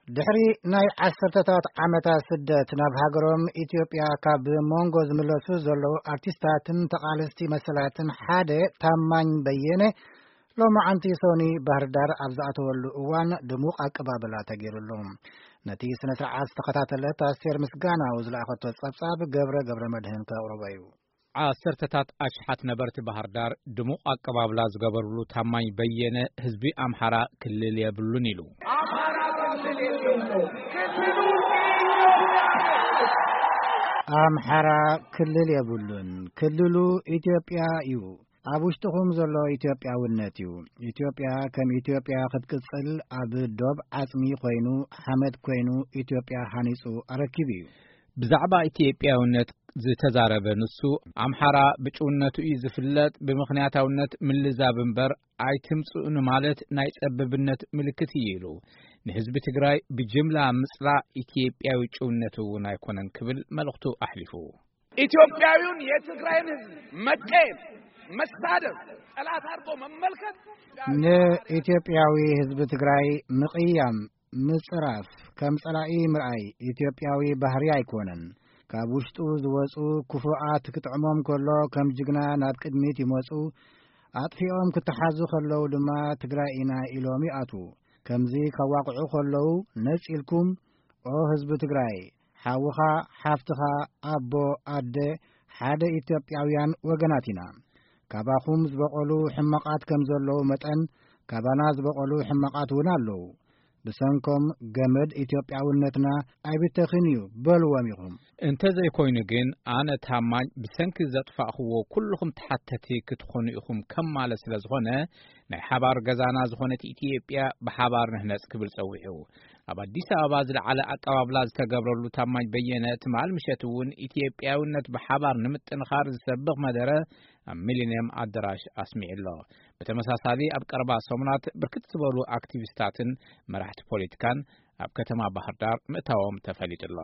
ድሕሪ ናይ ዓሰርተታት ዓመታት ስደት ናብ ሃገሮም ኢትዮጵያ ካብ ሞንጎ ዝምለሱ ዘለዉ ኣርቲስታትን ተቓለስቲ መሰላትን ሓደ ታማኝ በየነ ሎማዓንቲ ሶኒ ባህርዳር ኣብ ዝኣተወሉ እዋን ድሙቕ ኣቀባብላ ተገይሩሉ። ነቲ ስነ ስርዓት ዝተኸታተለት ኣስቴር ምስጋናው ዝለኣኸቶ ጸብጻብ ገብረ ገብረ መድህን ከቕርቦ እዩ። ዓሰርተታት ኣሽሓት ነበርቲ ባህርዳር ድሙቕ ኣቀባብላ ዝገበርሉ ታማኝ በየነ ህዝቢ ኣምሓራ ክልል የብሉን ኢሉ። ኣምሓራ ክልል የብሉን፣ ክልሉ ኢትዮጵያ እዩ። ኣብ ውሽጥኹም ዘሎ ኢትዮጵያውነት እዩ። ኢትዮጵያ ከም ኢትዮጵያ ክትቅጽል ኣብ ዶብ ዓጽሚ ኮይኑ፣ ሓመድ ኮይኑ ኢትዮጵያ ሃኒጹ ኣረኪቡ እዩ። ብዛዕባ ኢትዮጵያውነት ዝተዛረበ ንሱ፣ ኣምሓራ ብጭውነቱ እዩ ዝፍለጥ፣ ብምኽንያታውነት ምልዛብ እምበር ኣይትምጽኡ ንማለት ናይ ጸብብነት ምልክት እዩ ኢሉ። ንህዝቢ ትግራይ ብጅምላ ምጽላእ ኢትዮጵያዊ ጭውነት እውን ኣይኮነን ክብል መልእኽቱ ኣሕሊፉ። ኢትዮጵያዊውን የትግራይን ህዝብ መቀየም፣ መሳደብ፣ ጠላት አድርጎ መመልከት ንኢትዮጵያዊ ህዝቢ ትግራይ ምቕያም፣ ምጽራፍ፣ ከም ጸላኢ ምርኣይ ኢትዮጵያዊ ባህሪ ኣይኮነን። ካብ ውሽጡ ዝወጹ ክፉኣት ክጥዕሞም ከሎ ከም ጅግና ናብ ቅድሚት ይመጹ፣ ኣጥፊኦም ክተሓዙ ከለዉ ድማ ትግራይ ኢና ኢሎም ይኣትዉ። ከምዚ ከዋቕዑ ከለዉ ነጺልኩም፣ ኦ ህዝቢ ትግራይ፣ ሓውኻ፣ ሓፍትኻ፣ ኣቦ፣ ኣደ፣ ሓደ ኢትዮጵያውያን ወገናት ኢና። ካባኹም ዝበቐሉ ሕማቓት ከም ዘለዉ መጠን፣ ካባና ዝበቐሉ ሕማቓት እውን ኣለዉ። ብሰንኮም ገመድ ኢትዮጵያውነትና ኣይብተኽን እዩ በልዎም ኢኹም። እንተዘይኮይኑ ግን ኣነ ታማኝ ብሰንኪ ዘጥፋእኽዎ ኩልኹም ተሓተቲ ክትኾኑ ኢኹም ከም ማለት ስለ ዝኾነ ናይ ሓባር ገዛና ዝኾነት ኢትዮጵያ ብሓባር ንህነጽ ክብል ጸዊዑ። ኣብ ኣዲስ ኣበባ ዝለዓለ ኣቀባብላ ዝተገብረሉ ታማኝ በየነ ትማል ምሸት እውን ኢትዮጵያውነት ብሓባር ንምጥንኻር ዝሰብኽ መደረ ኣብ ሚሊንየም ኣደራሽ ኣስሚዑ ኣሎ። ብተመሳሳሊ ኣብ ቀረባ ሰሙናት ብርክት ዝበሉ ኣክቲቪስታትን መራሕቲ ፖለቲካን ኣብ ከተማ ባህር ዳር ምእታዎም ተፈሊጡ ኣሎ።